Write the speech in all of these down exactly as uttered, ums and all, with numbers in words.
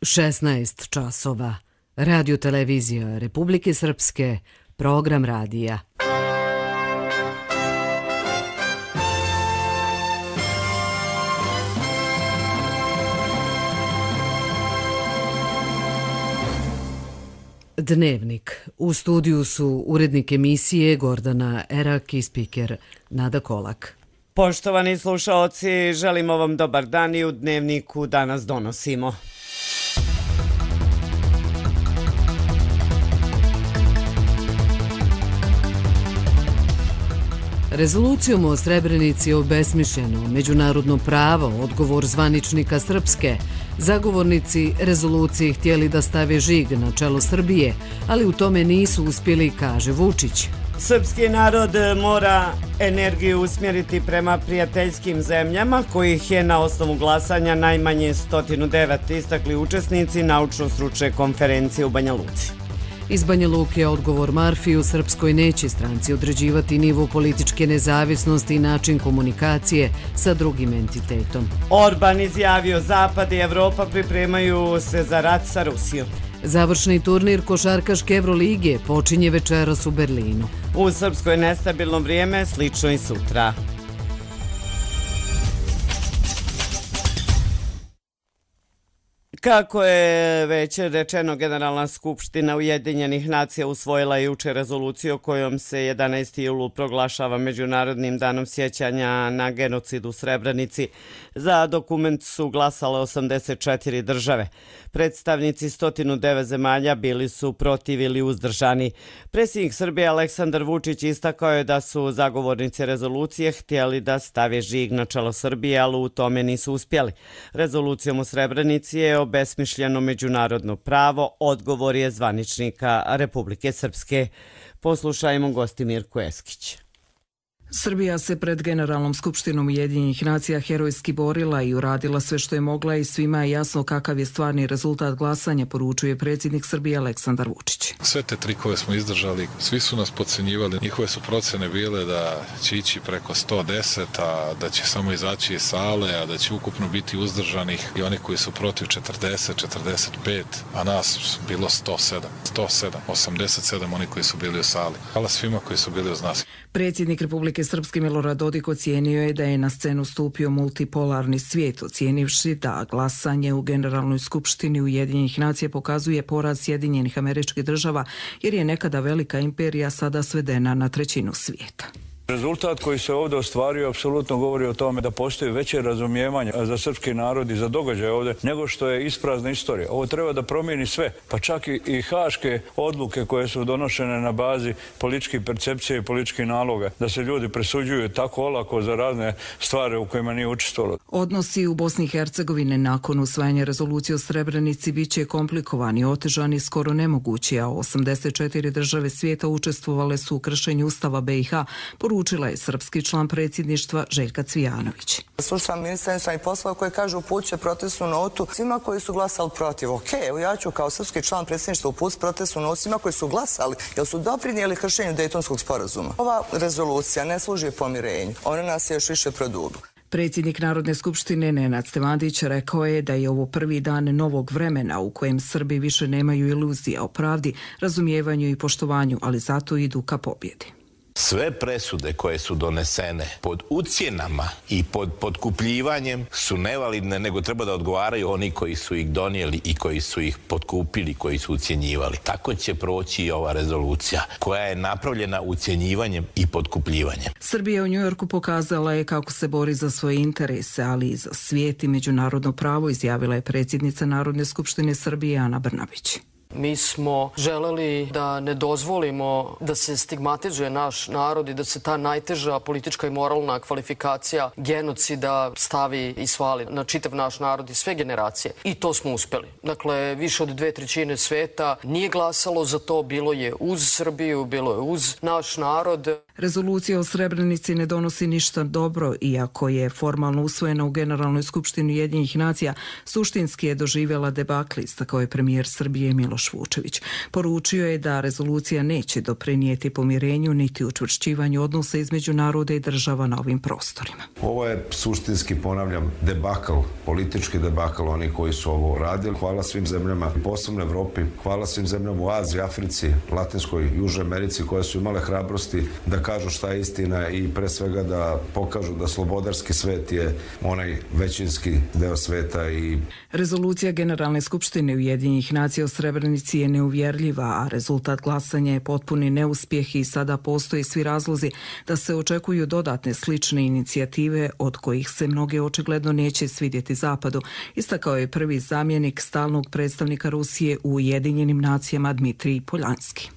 šesnaest časova. Radio televizija Republike Srpske, program radija. Dnevnik. U studiju su urednik emisije Gordana Erak i spiker Nada Kolak. Poštovani slušaoci, želimo vam dobar dan i u Dnevniku danas donosimo. Rezolucijom o Srebrenici je obesmišljeno međunarodno pravo, odgovor zvaničnika Srpske. Zagovornici rezolucije htjeli da stave žig na čelo Srbije, ali u tome nisu uspjeli, kaže Vučić. Srpski narod mora energiju usmjeriti prema prijateljskim zemljama, kojih je na osnovu glasanja najmanje sto devet, istakli učesnici naučno-stručne konferencije u Banja Luci. Iz Banja Luke odgovor Marfi: u Srpskoj neće stranci određivati nivo političke nezavisnosti i način komunikacije sa drugim entitetom. Orban izjavio: Zapad i Evropa pripremaju se za rat sa Rusijom. Završni turnir košarkaške Evrolige počinje večeras u Berlinu. U Srpskoj nestabilno vrijeme, slično i sutra. Kako je već rečeno, Generalna skupština Ujedinjenih nacija usvojila juče rezoluciju kojom se jedanaesti jul proglašava Međunarodnim danom sjećanja na genocid u Srebrenici. Za dokument su glasale osamdeset četiri države. Predstavnici sto devet zemalja bili su protiv ili uzdržani. Predsjednik Srbije Aleksandar Vučić istakao je da su zagovornici rezolucije htjeli da stave žig na čelo Srbije, ali u tome nisu uspjeli. Rezolucijom u Srebrenici je obesmišljeno međunarodno pravo, odgovor je zvaničnika Republike Srpske. Poslušajmo gosti Mirku Eskić. Srbija se pred Generalnom skupštinom Ujedinjenih nacija herojski borila i uradila sve što je mogla i svima je jasno kakav je stvarni rezultat glasanja, poručuje predsjednik Srbije Aleksandar Vučić. Sve te trikove smo izdržali, svi su nas podcenjivali, njihove su procene bile da će ići preko sto deset, a da će samo izaći iz sale, a da će ukupno biti uzdržanih i oni koji su protiv četrdeset, četrdeset pet, a nas bilo sto sedam, sto sedam, osamdeset sedam oni koji su bili u sali. Hvala svima koji su bili uz nas. Predsjednik Republike Srpske Milorad Dodik ocijenio je da je na scenu stupio multipolarni svijet, ocijenivši da glasanje u Generalnoj skupštini Ujedinjenih nacija pokazuje poraz Sjedinjenih Američkih Država, jer je nekada velika imperija sada svedena na trećinu svijeta. Rezultat koji se ovdje ostvario apsolutno govori o tome da postoji veće razumijevanje za srpski narod i za događaje ovdje nego što je isprazna istorija. Ovo treba da promijeni sve, pa čak i, i haške odluke koje su donošene na bazi političkih percepcije i političkih naloga, da se ljudi presuđuju tako olako za razne stvari u kojima nije učestvovalo. Odnosi u Bosni i Hercegovini nakon usvajanja rezolucije o Srebrenici bit će komplikovani, otežani, skoro nemogući, a osamdeset četiri države svijeta učestvovale su u kršenju Ustava B i H, poručila je srpski član predsjedništva Željka Cvijanović. Slušam ministra inostranih poslova koji kaže upućuje protestnu notu svima koji su glasali protiv. Ok, evo ja ću kao srpski član predsjedništva uputiti protestnu notu svima koji su glasali, jer su doprinijeli kršenju Dejtonskog sporazuma. Ova rezolucija ne služi pomirenju, ona nas je još više produbila. Predsjednik Narodne skupštine Nenad Stevandić rekao je da je ovo prvi dan novog vremena u kojem Srbi više nemaju iluzija o pravdi, razumijevanju i poštovanju, ali zato idu ka pobjedi. Sve presude koje su donesene pod ucjenama i pod potkupljivanjem su nevalidne, nego treba da odgovaraju oni koji su ih donijeli i koji su ih potkupili, koji su ucjenjivali. Tako će proći i ova rezolucija koja je napravljena ucjenjivanjem i potkupljivanjem. Srbija u Njujorku pokazala je kako se bori za svoje interese, ali i za svijet i međunarodno pravo, izjavila je predsjednica Narodne skupštine Srbije Ana Brnabić. Mi smo želeli da ne dozvolimo da se stigmatizuje naš narod i da se ta najteža politička i moralna kvalifikacija genocida stavi i svali na čitav naš narod i sve generacije. I to smo uspjeli. Dakle, više od dve trećine sveta nije glasalo za to, bilo je uz Srbiju, bilo je uz naš narod. Rezolucija o Srebrenici ne donosi ništa dobro, iako je formalno usvojena u Generalnoj skupštini Ujedinjenih nacija, suštinski je doživjela debakl, istakao je premijer Srbije Miloš Vučević. Poručio je da rezolucija neće doprinijeti pomirenju niti učvršćivanju odnosa između naroda i država na ovim prostorima. Ovo je suštinski, ponavljam, debakl, politički debakl oni koji su ovo radili. Hvala svim zemljama, posebno Evropi, hvala svim zemljama u Aziji, Africi, Latinskoj, Južnoj Americi koje su imale hrabrosti da kažu šta je istina i pre svega da pokažu da slobodarski svet je onaj većinski deo sveta. I rezolucija Generalne skupštine Ujedinjenih nacija o Srebrenici je neuvjerljiva, a rezultat glasanja je potpuni neuspjeh i sada postoje svi razlozi da se očekuju dodatne slične inicijative od kojih se mnoge očigledno neće svidjeti Zapadu, istakao je prvi zamjenik stalnog predstavnika Rusije u Ujedinjenim nacijama Dmitrij Poljanski.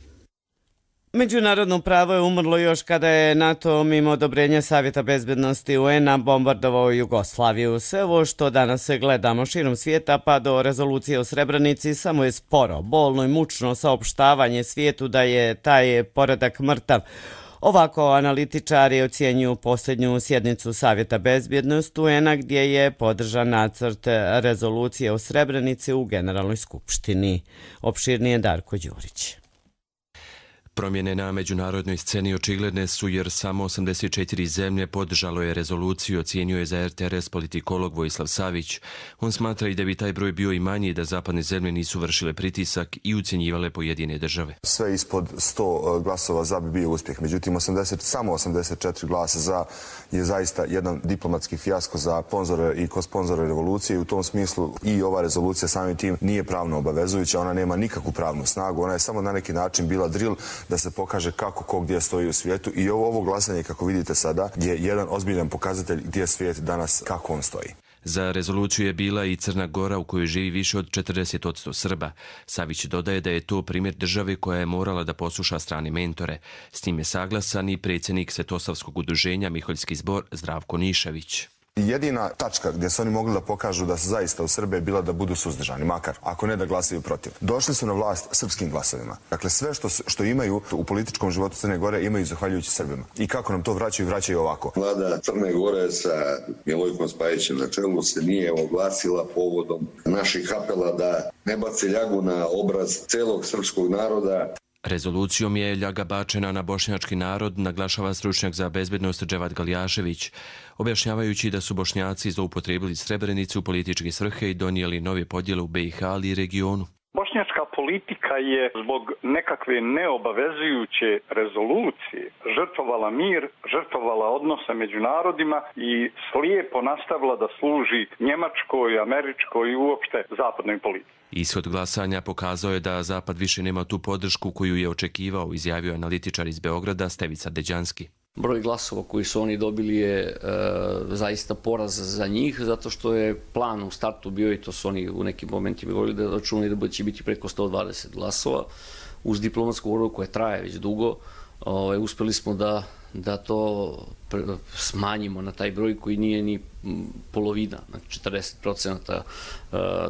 Međunarodno pravo je umrlo još kada je NATO mimo odobrenja Savjeta bezbednosti U N-a bombardovao Jugoslaviju. Sve ovo što danas gledamo širom svijeta pa do rezolucije o Srebrenici samo je sporo, bolno i mučno saopštavanje svijetu da je taj poredak mrtav. Ovako analitičari ocjenjuju posljednju sjednicu Savjeta bezbjednosti U N-a gdje je podržan nacrt rezolucije o Srebrenici u Generalnoj skupštini. Opširnije Darko Đurić. Promjene na međunarodnoj sceni očigledne su jer samo osamdeset četiri zemlje podržalo je rezoluciju, ocjenio je za R T R S politikolog Vojislav Savić. On smatra i da bi taj broj bio i manji da zapadne zemlje nisu vršile pritisak i ucjenjivale pojedine države. Sve ispod sto glasova za bi bio uspjeh, međutim osamdeset, samo osamdeset četiri glasa za je zaista jedan diplomatski fijasko za sponzore i kosponzore revolucije i u tom smislu i ova rezolucija samim tim nije pravno obavezujuća, ona nema nikakvu pravnu snagu, ona je samo na neki način bila drill da se pokaže kako ko gdje stoji u svijetu i ovo, ovo glasanje, kako vidite sada, je jedan ozbiljan pokazatelj gdje je svijet danas, kako on stoji. Za rezoluciju je bila i Crna Gora u kojoj živi više od četrdeset posto Srba. Savić dodaje da je to primjer države koja je morala da posluša strane mentore. S tim je saglasan i predsjednik Svetosavskog udruženja Miholjski zbor Zdravko Nišavić. Jedina tačka gdje su oni mogli da pokažu da se zaista u Srbiji je bila da budu suzdržani, makar, ako ne da glasaju protiv. Došli su na vlast srpskim glasovima. Dakle, sve što, što imaju u političkom životu Crne Gore imaju zahvaljujući Srbima. I kako nam to vraćaju, vraćaju ovako. Vlada Crne Gore sa Milojkom Spajićem na čelu se nije oglasila povodom naših apela da ne baci ljagu na obraz celog srpskog naroda. Rezolucijom je ljaga bačena na bošnjački narod, naglašava stručnjak za bezbednost Dževad Galjašević, objašnjavajući da su Bošnjaci zloupotrijebili Srebrenicu u političke svrhe i donijeli nove podjele u B i H, ali i regionu. Bošnjačka politika je zbog nekakve neobavezujuće rezolucije žrtvovala mir, žrtvovala odnose među narodima i slijepo nastavila da služi njemačkoj, američkoj i uopšte zapadnoj politici. Ishod glasanja pokazao je da Zapad više nema tu podršku koju je očekivao, izjavio analitičar iz Beograda Stevica Deđanski. Broj glasova koji su oni dobili je e, zaista poraz za njih, zato što je plan u startu bio, i to su oni u nekim momentima govorili, da računali da će biti preko sto dvadeset glasova. Uz diplomatsku borbu koja traje već dugo, ovaj, uspjeli smo da, da to smanjimo na taj broj koji nije ni polovina, znači četrdeset procenata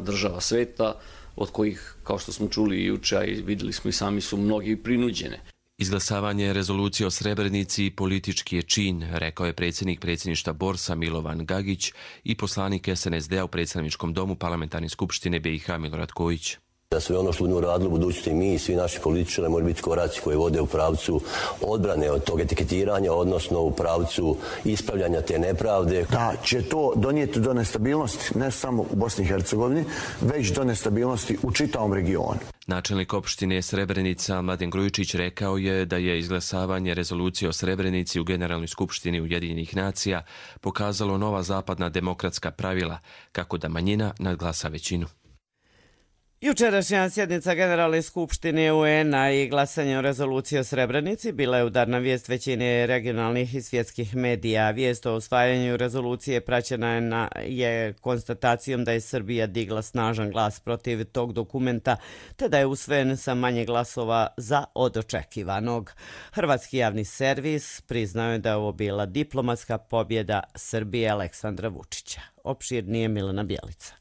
država sveta, od kojih, kao što smo čuli juče, a i vidjeli smo i sami, su mnogi prinuđene. Izglasavanje rezolucije o Srebrenici politički je čin, rekao je predsjednik predsjedništva Borsa Milovan Gagić i poslanik S N S D-a u predstavničkom domu Parlamentarne skupštine B i H Milorad Kojić. Da sve ono što budemo radili u budućnosti mi i svi naši političari moraju biti koraci koji vode u pravcu odbrane od tog etiketiranja, odnosno u pravcu ispravljanja te nepravde. Da će to donijeti do nestabilnosti ne samo u Bosni i Hercegovini, već do nestabilnosti u čitavom regionu. Načelnik opštine Srebrenica Mladen Grujičić rekao je da je izglasavanje rezolucije o Srebrenici u Generalnoj skupštini Ujedinjenih nacija pokazalo nova zapadna demokratska pravila, kako da manjina nadglasa većinu. Jučerašnja sjednica Generalne skupštine U N-a i glasanje o rezoluciji o Srebrenici bila je udarna vijest većine regionalnih i svjetskih medija. Vijest o usvajanju rezolucije praćena je, na, je konstatacijom da je Srbija digla snažan glas protiv tog dokumenta, te da je usvojen sa manje glasova za od očekivanog. Hrvatski javni servis priznao je da je ovo bila diplomatska pobjeda Srbije Aleksandra Vučića. Opširnije Milena Bjelica.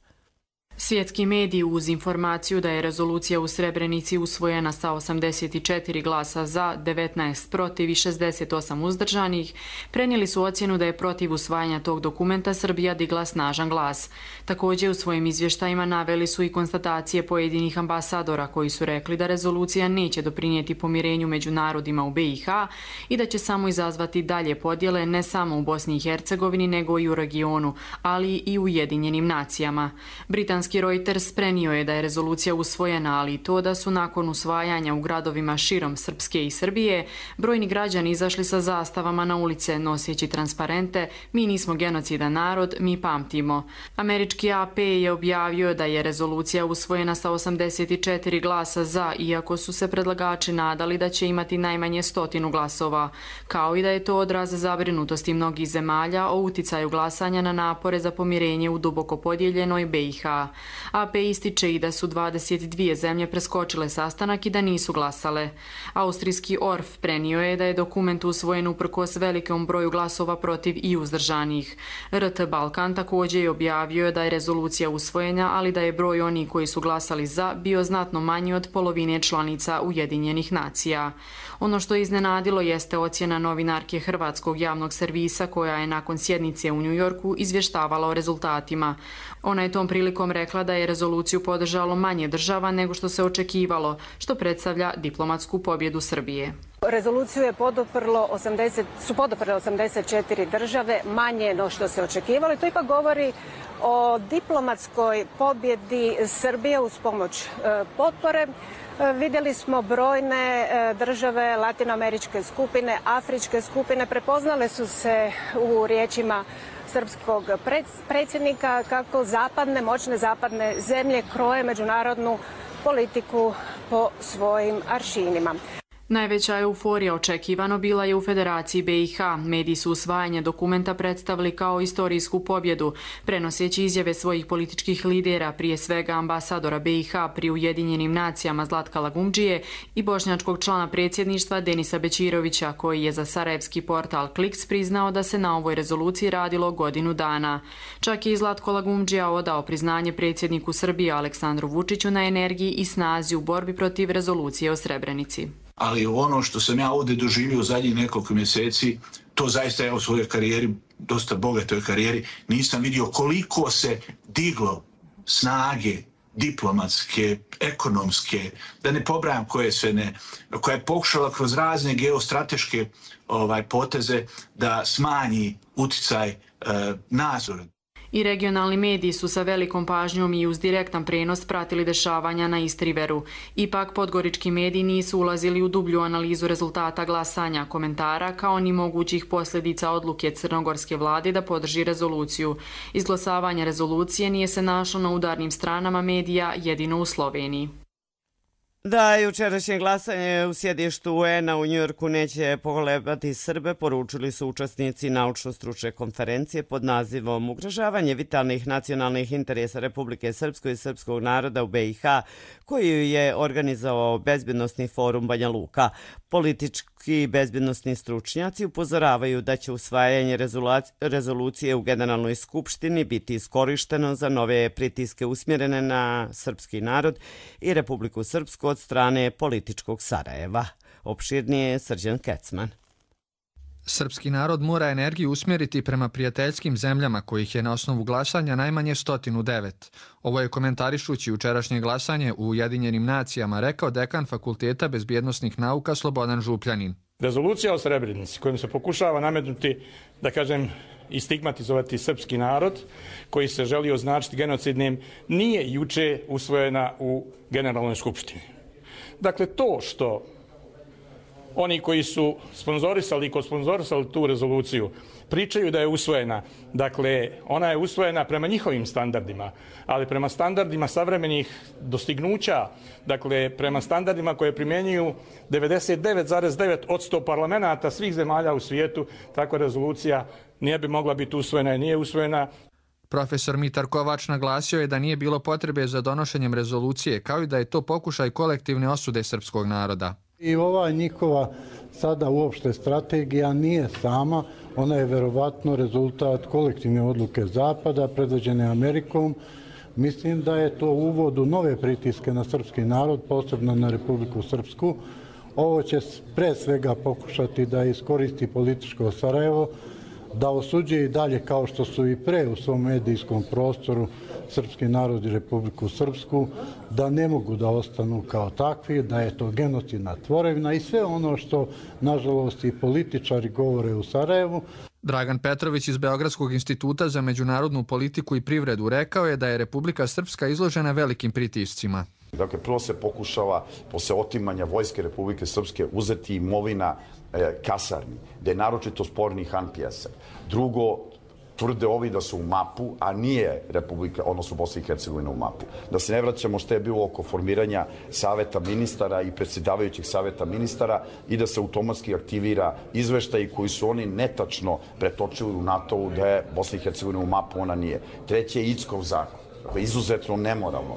Svjetski mediji uz informaciju da je rezolucija u Srebrenici usvojena sa osamdeset četiri glasa za, devetnaest protiv i šezdeset osam uzdržanih, prenijeli su ocjenu da je protiv usvajanja tog dokumenta Srbija digla snažan glas. Također u svojim izvještajima naveli su i konstatacije pojedinih ambasadora koji su rekli da rezolucija neće doprinijeti pomirenju među narodima u B i H i da će samo izazvati dalje podjele ne samo u Bosni i Hercegovini nego i u regionu, ali i u Ujedinjenim nacijama. Britanski Reuters prenio je da je rezolucija usvojena, ali i to da su nakon usvajanja u gradovima širom Srpske i Srbije brojni građani izašli sa zastavama na ulice noseći transparente "Mi nismo genocidan narod, mi pamtimo". Američki A P je objavio da je rezolucija usvojena sa osamdeset četiri glasa za, iako su se predlagači nadali da će imati najmanje stotinu glasova, kao i da je to odraz zabrinutosti mnogih zemalja o uticaju glasanja na napore za pomirenje u duboko podijeljenoj B i H. A P ističe i da su dvadeset dvije zemlje preskočile sastanak i da nisu glasale. Austrijski O R F prenio je da je dokument usvojen uprkos velikom broju glasova protiv i uzdržanih. R T Balkan također je objavio da je rezolucija usvojena, ali da je broj onih koji su glasali za bio znatno manji od polovine članica Ujedinjenih nacija. Ono što je iznenadilo jeste ocjena novinarke Hrvatskog javnog servisa koja je nakon sjednice u Njujorku izvještavala o rezultatima. Ona je tom prilikom rekla da je rezoluciju podržalo manje država nego što se očekivalo, što predstavlja diplomatsku pobjedu Srbije. Rezoluciju je poduprlo osamdeset, su poduprle osamdeset četiri države, manje no što se očekivalo. To ipak govori o diplomatskoj pobjedi Srbije uz pomoć e, potpore. E, vidjeli smo brojne e, države latinoameričke skupine, afričke skupine, prepoznale su se u riječima srpskog predsjednika kako zapadne, moćne zapadne zemlje kroje međunarodnu politiku po svojim aršinima. Najveća euforija očekivano bila je u Federaciji B i H. Mediji su usvajanje dokumenta predstavili kao istorijsku pobjedu, prenoseći izjave svojih političkih lidera, prije svega ambasadora B i H pri Ujedinjenim nacijama Zlatka Lagumdžije i bošnjačkog člana predsjedništva Denisa Bećirovića, koji je za sarajevski portal Kliks priznao da se na ovoj rezoluciji radilo godinu dana. Čak je i Zlatko Lagumdžija odao priznanje predsjedniku Srbije Aleksandru Vučiću na energiji i snazi u borbi protiv rezolucije o Srebrenici. Ali ono što sam ja ovdje doživio u zadnjih nekoliko mjeseci, to zaista je u svojoj karijeri, dosta bogatoj karijeri, nisam vidio koliko se diglo snage diplomatske, ekonomske, da ne pobrajam koje sve ne, koja je pokušala kroz razne geostrateške ovaj, poteze da smanji uticaj e, nadzora. I regionalni mediji su sa velikom pažnjom i uz direktan prenos pratili dešavanja na East Riveru. Ipak podgorički mediji nisu ulazili u dublju analizu rezultata glasanja, komentara kao ni mogućih posljedica odluke crnogorske vlade da podrži rezoluciju. Izglasavanje rezolucije nije se našlo na udarnim stranama medija, jedino u Sloveniji. Da jučerašnje glasanje u sjedištu U N-a u Njujorku neće pokolebati Srbe, poručili su učesnici naučno-stručne konferencije pod nazivom Ugrožavanje vitalnih nacionalnih interesa Republike Srpskoj i srpskog naroda u B i H, koju je organizovao Bezbjednosni forum Banja Luka. Politički bezbjednosni stručnjaci upozoravaju da će usvajanje rezolucije u Generalnoj skupštini biti iskorišteno za nove pritiske usmjerene na srpski narod i Republiku Srpsku od strane političkog Sarajeva. Opširnije Srđan Kecman. Srpski narod mora energiju usmjeriti prema prijateljskim zemljama kojih je na osnovu glasanja najmanje stotinu devet. Ovo je komentarišući jučerašnje glasanje u Ujedinjenim nacijama rekao dekan Fakulteta bezbjednosnih nauka Slobodan Župljanin. Rezolucija o Srebrenici kojom se pokušava nametnuti, da kažem, i stigmatizovati srpski narod koji se želi označiti genocidnim nije juče usvojena u Generalnoj skupštini. Dakle, to što oni koji su sponzorisali i kosponzorisali tu rezoluciju pričaju da je usvojena. Dakle, ona je usvojena prema njihovim standardima, ali prema standardima savremenih dostignuća, dakle, prema standardima koje primjenjuju devedeset devet zarez devet posto parlamenata svih zemalja u svijetu, takva rezolucija nije bi mogla biti usvojena i nije usvojena. Profesor Mitar Kovač naglasio je da nije bilo potrebe za donošenjem rezolucije, kao i da je to pokušaj kolektivne osude srpskog naroda. I ova njihova sada uopšte strategija nije sama, ona je verovatno rezultat kolektivne odluke Zapada, predvođene Amerikom, Mislim da je to uvod u nove pritiske na srpski narod, posebno na Republiku Srpsku. Ovo će pre svega pokušati da iskoristi političko Sarajevo, da osuđuje i dalje, kao što su i pre u svom medijskom prostoru, srpski narod i Republiku Srpsku, da ne mogu da ostanu kao takvi, da je to genocidna tvorevina i sve ono što, nažalost, i političari govore u Sarajevu. Dragan Petrović iz Beogradskog instituta za međunarodnu politiku i privredu rekao je da je Republika Srpska izložena velikim pritiscima. Dakle, prvo se pokušava, posle otimanja Vojske Republike Srpske, uzeti imovina e, kasarni, da je naročito sporni Han Pjeser. Drugo, tvrde ovi da su u mapu, a nije Republika, odnosno Bosna i Hercegovina u mapu. Da se ne vraćamo što je bilo oko formiranja saveta ministara i predsjedavajućih saveta ministara i da se automatski aktivira izveštaji koji su oni netačno pretočili u NATO-u da je Bosna i Hercegovina u mapu, ona nije. Treće je Ickov zakon, koji je izuzetno nemoralno.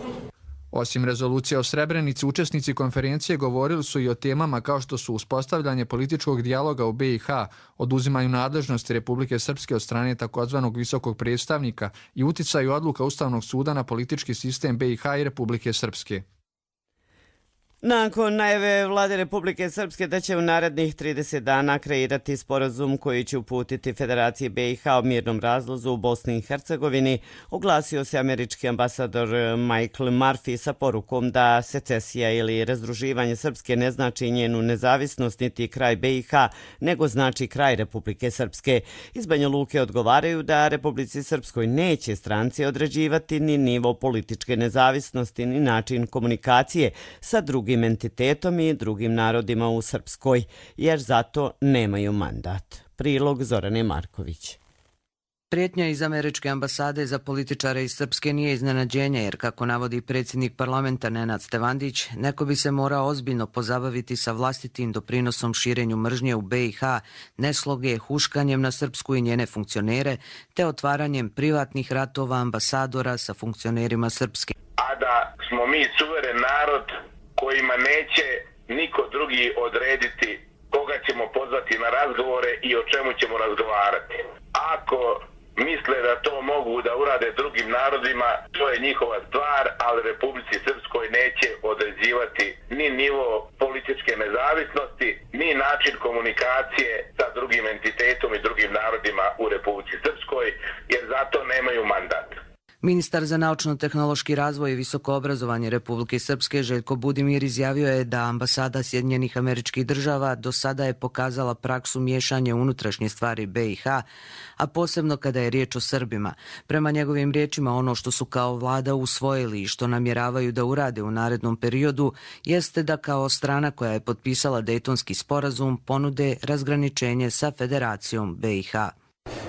Osim rezolucije o Srebrenici, učesnici konferencije govorili su i o temama kao što su uspostavljanje političkog dijaloga u be i ha, oduzimanju nadležnosti Republike Srpske od strane takozvanog visokog predstavnika i uticaju odluka Ustavnog suda na politički sistem be i ha i Republike Srpske. Nakon najave vlade Republike Srpske da će u narednih trideset dana kreirati sporazum koji će uputiti Federaciji be i ha o mirnom razlazu u Bosni i Hercegovini, oglasio se američki ambasador Michael Murphy sa porukom da secesija ili razdruživanje Srpske ne znači njenu nezavisnost niti kraj be i ha, nego znači kraj Republike Srpske. Iz Banja Luke odgovaraju da Republici Srpskoj neće stranci određivati ni nivo političke nezavisnosti ni način komunikacije sa drugim entitetom i drugim narodima u Srpskoj, jer zato nemaju mandat. Prilog Zorane Marković. Prijetnja iz američke ambasade za političare iz Srpske nije iznenađenje, jer kako navodi predsjednik parlamenta Nenad Stevandić, neko bi se morao ozbiljno pozabaviti sa vlastitim doprinosom širenju mržnje u be i ha, nesloge, huškanjem na Srpsku i njene funkcionere, te otvaranjem privatnih ratova ambasadora sa funkcionerima Srpske. A da smo mi suveren narod kojima neće niko drugi odrediti koga ćemo pozvati na razgovore i o čemu ćemo razgovarati. Ako misle da to mogu da urade drugim narodima, to je njihova stvar, ali Republici Srpskoj neće određivati ni nivo političke nezavisnosti, ni način komunikacije sa drugim entitetom i drugim narodima u Republici Srpskoj, jer zato nemaju mandat. Ministar za naučno-tehnološki razvoj i visoko obrazovanje Republike Srpske Željko Budimir izjavio je da ambasada Sjedinjenih Američkih Država do sada je pokazala praksu miješanja unutrašnje stvari be i ha, a posebno kada je riječ o Srbima. Prema njegovim riječima, ono što su kao vlada usvojili i što namjeravaju da urade u narednom periodu jeste da kao strana koja je potpisala Dejtonski sporazum ponude razgraničenje sa Federacijom be i ha.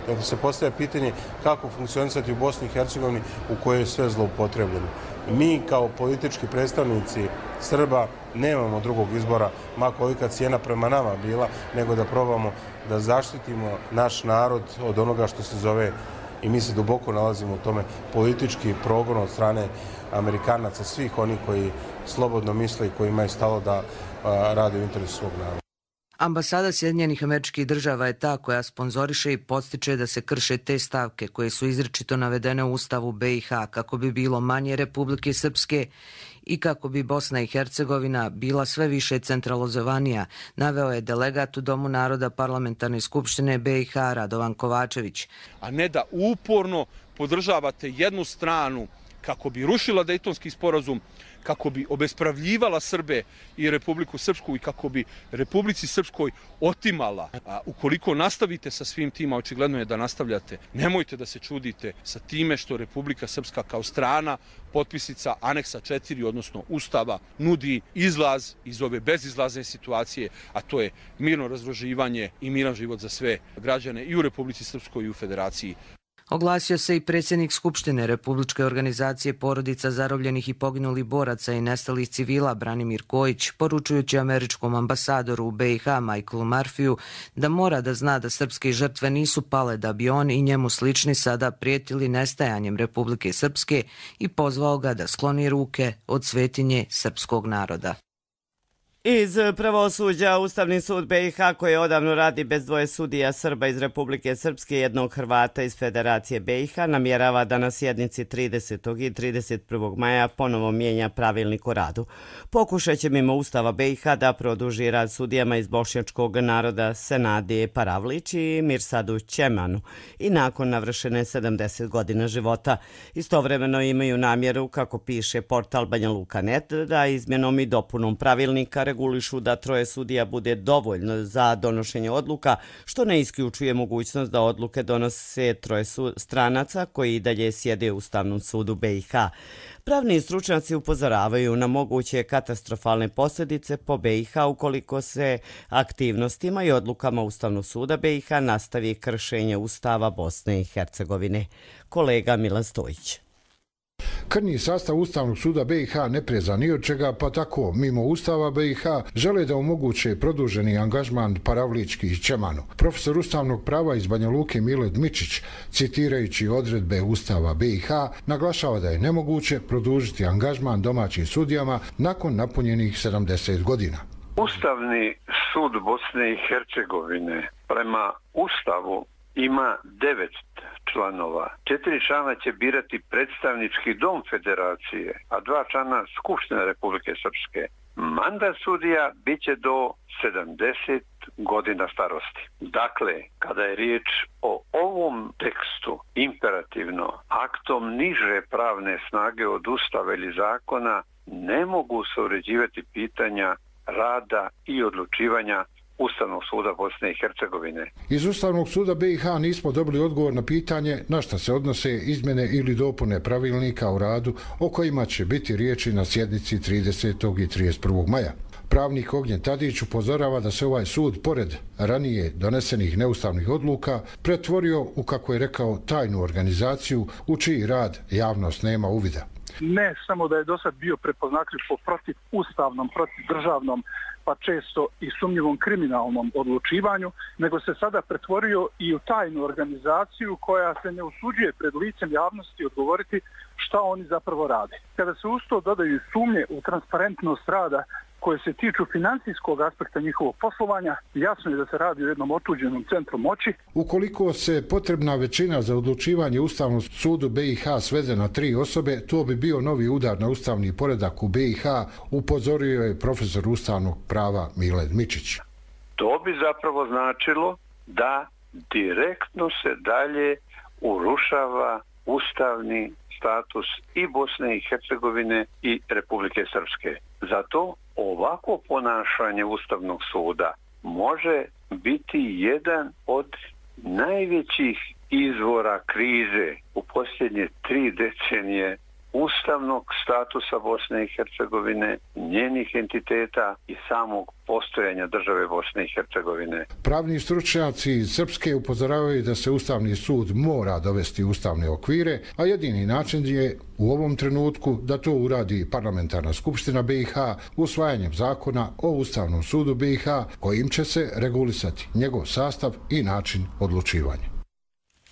Dakle, se postavlja pitanje kako funkcionisati u Bosni i Hercegovini u kojoj je sve zloupotrebljeno. Mi kao politički predstavnici Srba nemamo drugog izbora, ma kolika cijena prema nama bila, nego da probamo da zaštitimo naš narod od onoga što se zove, i mi se duboko nalazimo u tome, politički progon od strane Amerikanaca, svih onih koji slobodno misle i koji imaju stalo da a, rade u interesu svog naroda. Ambasada Sjedinjenih Američkih Država je ta koja sponzoriše i podstiče da se krše te stavke koje su izričito navedene u Ustavu be i ha kako bi bilo manje Republike Srpske i kako bi Bosna i Hercegovina bila sve više centralizovanija, naveo je delegat u Domu naroda Parlamentarne skupštine be i ha Radovan Kovačević. A ne da uporno podržavate jednu stranu kako bi rušila Dejtonski sporazum, kako bi obespravljivala Srbe i Republiku Srpsku i kako bi Republici Srpskoj otimala. A ukoliko nastavite sa svim tima, očigledno je da nastavljate, nemojte da se čudite sa time što Republika Srpska kao strana, potpisnica aneksa četiri, odnosno Ustava, nudi izlaz iz ove bezizlazne situacije, a to je mirno razdruživanje i miran život za sve građane i u Republici Srpskoj i u Federaciji. Oglasio se i predsjednik Skupštine Republičke organizacije porodica zarobljenih i poginulih boraca i nestalih civila Branimir Kojić, poručujući američkom ambasadoru u be i ha Michaelu Murphyu da mora da zna da srpske žrtve nisu pale da bi on i njemu slični sada prijetili nestajanjem Republike Srpske i pozvao ga da skloni ruke od svetinje srpskog naroda. Iz pravosuđa, Ustavni sud B i H koji odavno radi bez dvoje sudija Srba iz Republike Srpske i jednog Hrvata iz Federacije B i H namjerava da na sjednici tridesetog i trideset prvog maja ponovo mijenja pravilnik o radu. Pokušat će mimo Ustava B i H da produži rad sudijama iz bošnjačkog naroda Senadije Paravlić i Mirsadu Ćemanu i nakon navršene sedamdeset godina života. Istovremeno imaju namjeru, kako piše portal Banja Luka tačka net, da izmjenom i dopunom pravilnika regulišu da troje sudija bude dovoljno za donošenje odluka, što ne isključuje mogućnost da odluke donose troje stranaca koji i dalje sjede u Ustavnom sudu B i H. Pravni stručnjaci upozoravaju na moguće katastrofalne posljedice po B i H ukoliko se aktivnostima i odlukama Ustavnog suda B i H nastavi kršenje Ustava Bosne i Hercegovine. Kolega Milan Stojić. Krnji sastav Ustavnog suda B i H ne preza ni od čega, pa tako, mimo Ustava B i H, žele da omoguće produženi angažman Paravlički i Ćemanu. Profesor ustavnog prava iz Banja Luke Mile Dmičić, citirajući odredbe Ustava B i H, naglašava da je nemoguće produžiti angažman domaćim sudijama nakon napunjenih sedamdeset godina. Ustavni sud Bosne i Hercegovine prema Ustavu ima devet članova. Četiri člana će birati predstavnički dom federacije, a dva člana Skupštine Republike Srpske. Mandat sudija bit će do sedamdeset godina starosti. Dakle, kada je riječ o ovom tekstu, imperativno, aktom niže pravne snage od Ustava ili zakona, ne mogu se uređivati pitanja rada i odlučivanja Ustavnog suda Bosne i Hercegovine. Iz Ustavnog suda B i H nismo dobili odgovor na pitanje na šta se odnose izmjene ili dopune pravilnika o radu o kojima će biti riječi na sjednici tridesetog i trideset prvog maja. Pravnik Ognjen Tadić upozorava da se ovaj sud, pored ranije donesenih neustavnih odluka, pretvorio u, kako je rekao, tajnu organizaciju u čiji rad javnost nema uvida. Ne samo da je do sad bio prepoznatljiv po protiv ustavnom, protiv državnom, pa često i sumnjivom kriminalnom odlučivanju, nego se sada pretvorio i u tajnu organizaciju koja se ne usuđuje pred licem javnosti odgovoriti šta oni zapravo rade. Kada se uz to dodaju sumnje u transparentnost rada koje se tiču financijskog aspekta njihovog poslovanja, jasno je da se radi o jednom otuđenom centru moći. Ukoliko se potrebna većina za odlučivanje Ustavnog sudu B i H svede na tri osobe, to bi bio novi udar na ustavni poredak u B i H, upozorio je profesor ustavnog prava Mile Dmičić. To bi zapravo značilo da direktno se dalje urušava ustavni status i Bosne i Hercegovine i Republike Srpske. Zato ovako ponašanje Ustavnog suda može biti jedan od najvećih izvora krize u posljednje tri decenije ustavnog statusa Bosne i Hercegovine, njenih entiteta i samog postojanja države Bosne i Hercegovine. Pravni stručnjaci iz Srpske upozoravaju da se Ustavni sud mora dovesti u ustavne okvire, a jedini način je u ovom trenutku da to uradi Parlamentarna skupština B i H usvajanjem zakona o Ustavnom sudu B i H, kojim će se regulisati njegov sastav i način odlučivanja.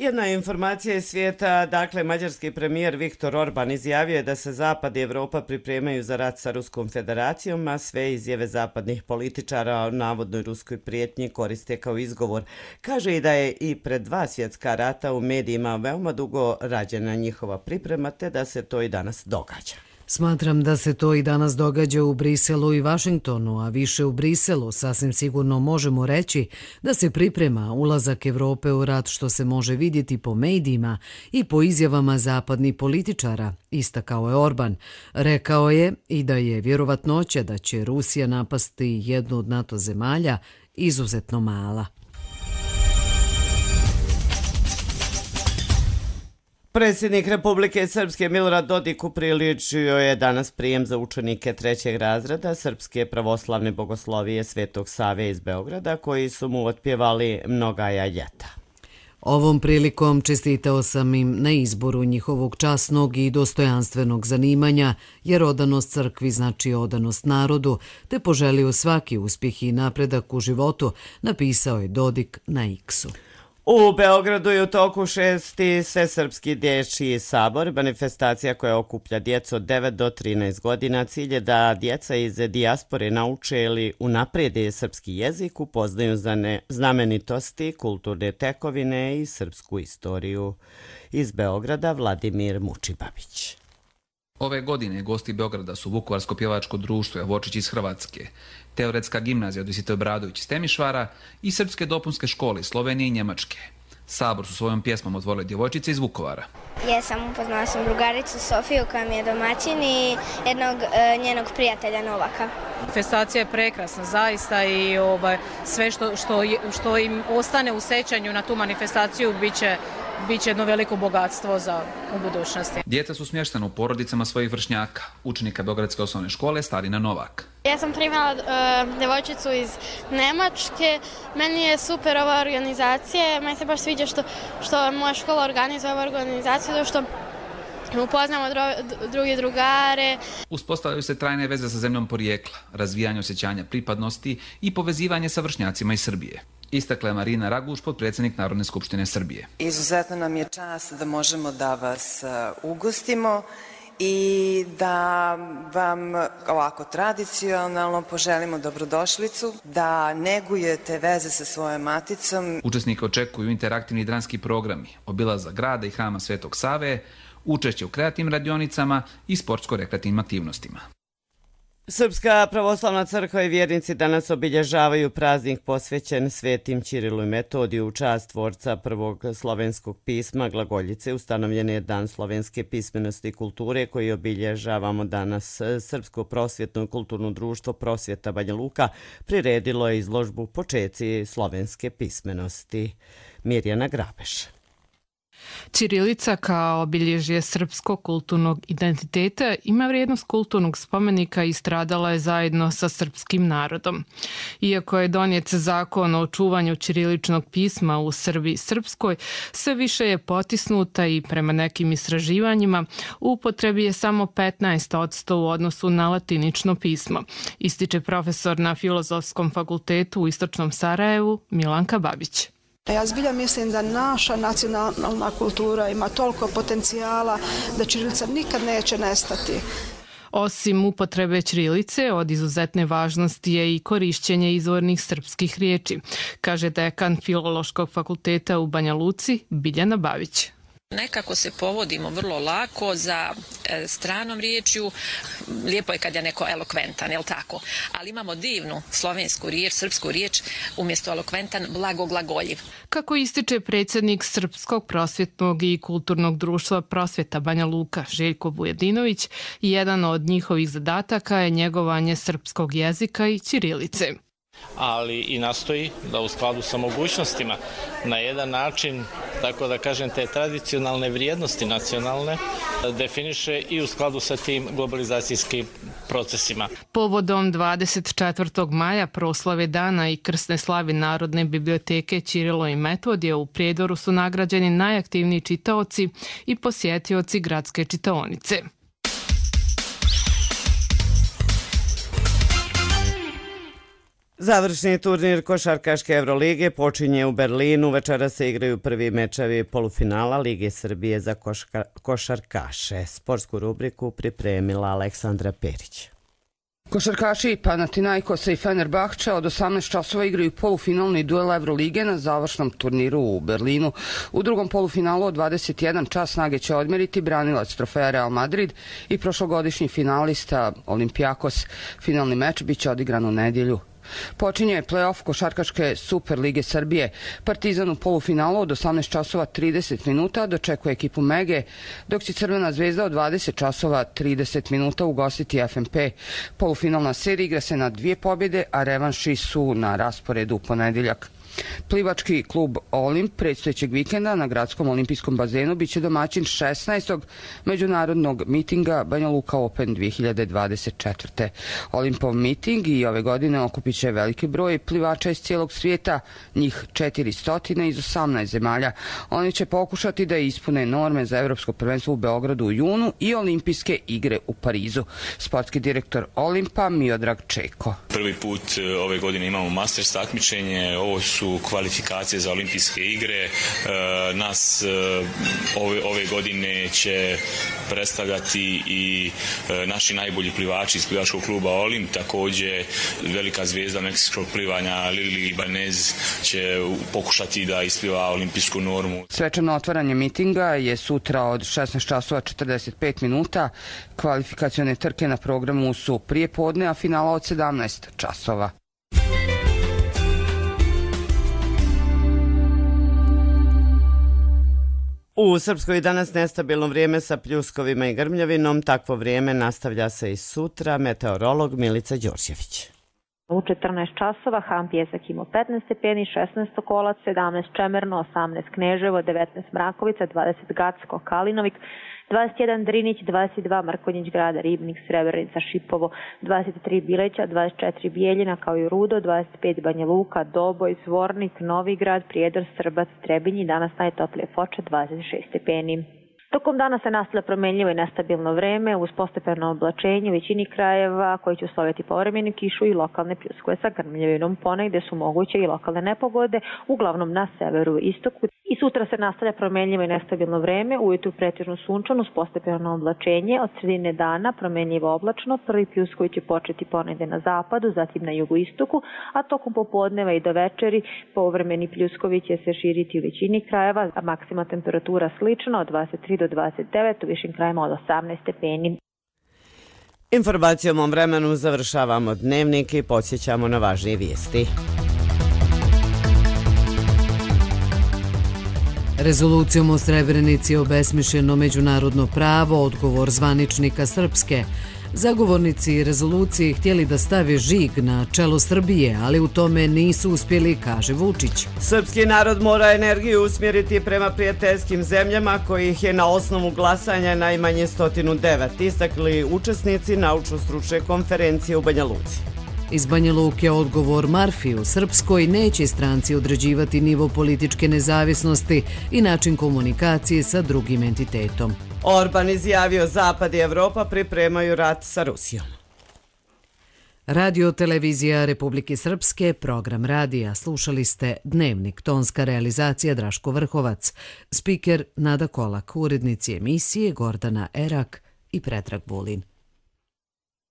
Jedna informacija iz svijeta, dakle, mađarski premijer Viktor Orban izjavio je da se Zapad i Evropa pripremaju za rat sa Ruskom federacijom, a sve izjave zapadnih političara o navodnoj ruskoj prijetnji koriste kao izgovor. Kaže i da je i pred dva svjetska rata u medijima veoma dugo rađena njihova priprema, te da se to i danas događa. Smatram da se to i danas događa u Briselu i Vašingtonu, a više u Briselu sasvim sigurno možemo reći da se priprema ulazak Evrope u rat, što se može vidjeti po medijima i po izjavama zapadnih političara, istakao je Orban. Rekao je i da je vjerovatnoća da će Rusija napasti jednu od NATO zemalja izuzetno mala. Predsjednik Republike Srpske Milorad Dodik upriličio je danas prijem za učenike trećeg razreda Srpske pravoslavne bogoslovije Svetog Save iz Beograda, koji su mu otpjevali mnogaja ljeta. Ovom prilikom čestitao sam im na izboru njihovog časnog i dostojanstvenog zanimanja, jer odanost crkvi znači odanost narodu, te poželio svaki uspjeh i napredak u životu, napisao je Dodik na X-u. U Beogradu je u toku šesti Svesrpski dječji sabor, manifestacija koja okuplja djecu od devet do trinaest godina. Cilj je da djeca iz dijaspore nauče ili unaprijede srpski jezik, upoznaju znamenitosti, kulturne tekovine i srpsku istoriju. Iz Beograda Vladimir Mučibabić. Ove godine gosti Beograda su Vukovarsko pjevačko društvo Javočić iz Hrvatske, Teoretska gimnazija Dositej Obradović iz Temišvara i Srpske dopunske škole Slovenije i Njemačke. Sabor su svojom pjesmom otvorile djevojčice iz Vukovara. Jesam, upoznala sam drugaricu Sofiju koja mi je domaćin i jednog e, njenog prijatelja Novaka. Manifestacija je prekrasna zaista i ovaj, sve što, što, što im ostane u sećanju na tu manifestaciju biće Biće jedno veliko bogatstvo za u budućnosti. Djeca su smještena u porodicama svojih vršnjaka, učenika Beogradske osnovne škole Starina Novak. Ja sam primala uh, djevojčicu iz Nemačke. Meni je super ova organizacija. Meni se baš sviđa što, što moja škola organizuje ovu organizaciju, zato što upoznamo dro, drugi drugare. Uspostavljaju se trajne veze sa zemljom porijekla, razvijanje osjećanja pripadnosti i povezivanje sa vršnjacima iz Srbije. Istakla je Marina Raguš, potpredsjednik Narodne skupštine Srbije. Izuzetno nam je čast da možemo da vas ugostimo i da vam ovako tradicionalno poželimo dobrodošlicu, da negujete veze sa svojom maticom. Učesnike očekuju interaktivni dramski programi, obilazak grada i hrama Svetog Save, učešće u kreativnim radionicama i sportsko-rekreativnim aktivnostima. Srpska pravoslavna crkva i vjernici danas obilježavaju praznik posvećen Svetim Ćirilu i Metodiju u čast tvorca prvog slovenskog pisma glagoljice. Ustanovljen je Dan slovenske pismenosti i kulture koji obilježavamo danas. Srpsko prosvjetno i kulturno društvo Prosvjeta Banja Luka priredilo je izložbu Počeci slovenske pismenosti. Mirjana Grabeš. Ćirilica kao obilježje srpskog kulturnog identiteta ima vrijednost kulturnog spomenika i stradala je zajedno sa srpskim narodom. Iako je donijet zakon o čuvanju ćiriličnog pisma u Srbiji srpskoj, sve više je potisnuta i prema nekim istraživanjima u upotrebi je samo petnaest posto u odnosu na latinično pismo, ističe profesor na Filozofskom fakultetu u Istočnom Sarajevu Milanka Babić. Ja zbilja mislim da naša nacionalna kultura ima toliko potencijala da ćirilica nikad neće nestati. Osim upotrebe ćirilice, od izuzetne važnosti je i korišćenje izvornih srpskih riječi, kaže dekan Filološkog fakulteta u Banja Luci Biljana Babić. Nekako se povodimo vrlo lako za e, stranom riječju. Lijepo je kad je neko elokventan, jel tako? Ali imamo divnu slovensku riječ, srpsku riječ, umjesto elokventan blagoglagoljiv. Kako ističe predsjednik Srpskog prosvjetnog i kulturnog društva Prosvjeta Banja Luka Željko Vujedinović, jedan od njihovih zadataka je njegovanje srpskog jezika i ćirilice. Ali i nastoji da u skladu sa mogućnostima na jedan način, tako da kažem, te tradicionalne vrijednosti nacionalne definiše i u skladu sa tim globalizacijskim procesima. Povodom dvadeset četvrtog maja proslave dana i krsne slave Narodne biblioteke Ćirilo i Metodije u Prijedoru su nagrađeni najaktivniji čitaoci i posjetioci gradske čitaonice. Završni turnir košarkaške Evrolige počinje u Berlinu. Večera se igraju prvi mečevi polufinala Lige Srbije za koška, košarkaše. Sportsku rubriku pripremila Aleksandra Perić. Košarkaši Panathinaikosa i Fenerbahča od osamnaest časova igraju polufinalni duel Evrolige na završnom turniru u Berlinu. U drugom polufinalu od dvadeset jedan čas snage će odmeriti branilac trofeja Real Madrid i prošlogodišnji finalista Olympiakos. Finalni meč biće odigran u nedjelju. Počinje play-off košarkaške Super Lige Srbije. Partizan u polufinalu od osamnaest časova trideset minuta dočekuje ekipu Mege, dok će Crvena zvezda od dvadeset časova trideset minuta ugostiti F M P. Polufinalna serija igra se na dvije pobjede, a revanši su na rasporedu u ponedjeljak. Plivački klub Olimp predstojećeg vikenda na gradskom olimpijskom bazenu biće domaćin šesnaestog međunarodnog mitinga Banja Luka Open dvije hiljade dvadeset četvrte. Olimpov miting i ove godine okupit će veliki broj plivača iz cijelog svijeta, njih četiristo iz osamnaest zemalja. Oni će pokušati da ispune norme za evropsko prvenstvo u Beogradu u junu i olimpijske igre u Parizu. Sportski direktor Olimpa Miodrag Čeko. Prvi put ove godine imamo Masters takmičenje, ovo su su kvalifikacije za olimpijske igre. Nas ove, ove godine će predstavljati i naši najbolji plivači iz plivačkog kluba Olimp. Također velika zvijezda meksičkog plivanja Lili Ibanez će pokušati da ispliva olimpijsku normu. Svečano otvaranje mitinga je sutra od šesnaest časova četrdeset pet minuta. Kvalifikacione trke na programu su prije podne, a finala od sedamnaest časova. U Srpskoj je danas nestabilno vrijeme sa pljuskovima i grmljavinom. Takvo vrijeme nastavlja se i sutra. Meteorolog Milica Đorđević. U četrnaest časova Han Pjesak imao petnaest stepeni, šesnaest Sokolac, sedamnaest Čemerno, osamnaest Kneževo, devetnaest Mrakovica, dvadeset Gacko, Kalinovik, dvadeset jedan Drinić, dvadeset dva Mrkonjić Grada, Ribnik, Srebrenica, Šipovo, dvadeset tri Bileća, dvadeset četiri Bijeljina kao i Rudo, dvadeset pet Banja Luka, Doboj, Zvornik, Novigrad, Prijedor, Srbac, Trebinj i danas najtoplije Foča, dvadeset šest stepeni. Tokom dana se nastavlja promenljivo i nestabilno vreme uz postepeno oblačenje u većini krajeva koji će usloviti povremenu kišu i lokalne pljuskove sa grmljavinom. Ponegde su moguće i lokalne nepogode, uglavnom na severu i istoku. I sutra se nastavlja promenljivo i nestabilno vreme, ujutru pretežno sunčano uz postepeno oblačenje, od sredine dana promenljivo oblačno, prvi pljuskovi će početi ponegde na zapadu, zatim na jugoistoku, a tokom popodneva i do večeri povremeni pljuskovi će se širiti u većini krajeva, a maksimalna temperatura slična od dvadeset tri do dvadeset devet, u višim krajima od osamnaest stepeni. Informacijom o vremenu završavamo dnevnik i podsjećamo na važnije vijesti. Rezolucijom o Srebrenici je obesmišljeno međunarodno pravo, odgovor zvaničnika Srpske. Zagovornici rezolucije htjeli da stave žig na čelo Srbije, ali u tome nisu uspjeli, kaže Vučić. Srpski narod mora energiju usmjeriti prema prijateljskim zemljama kojih je na osnovu glasanja najmanje sto devet, istakli učesnici naučno-stručne konferencije u Banja Luci. Iz Banja Luke odgovor Marfi: u Srpskoj neće stranci određivati nivo političke nezavisnosti i način komunikacije sa drugim entitetom. Orban izjavio Zapad i Evropa pripremaju rat sa Rusijom. Radio televizija Republike Srpske, program radija. Slušali ste Dnevnik, tonska realizacija Draško Vrhovac, spiker Nada Kolak, urednici emisije Gordana Erak i Predrag Vulin.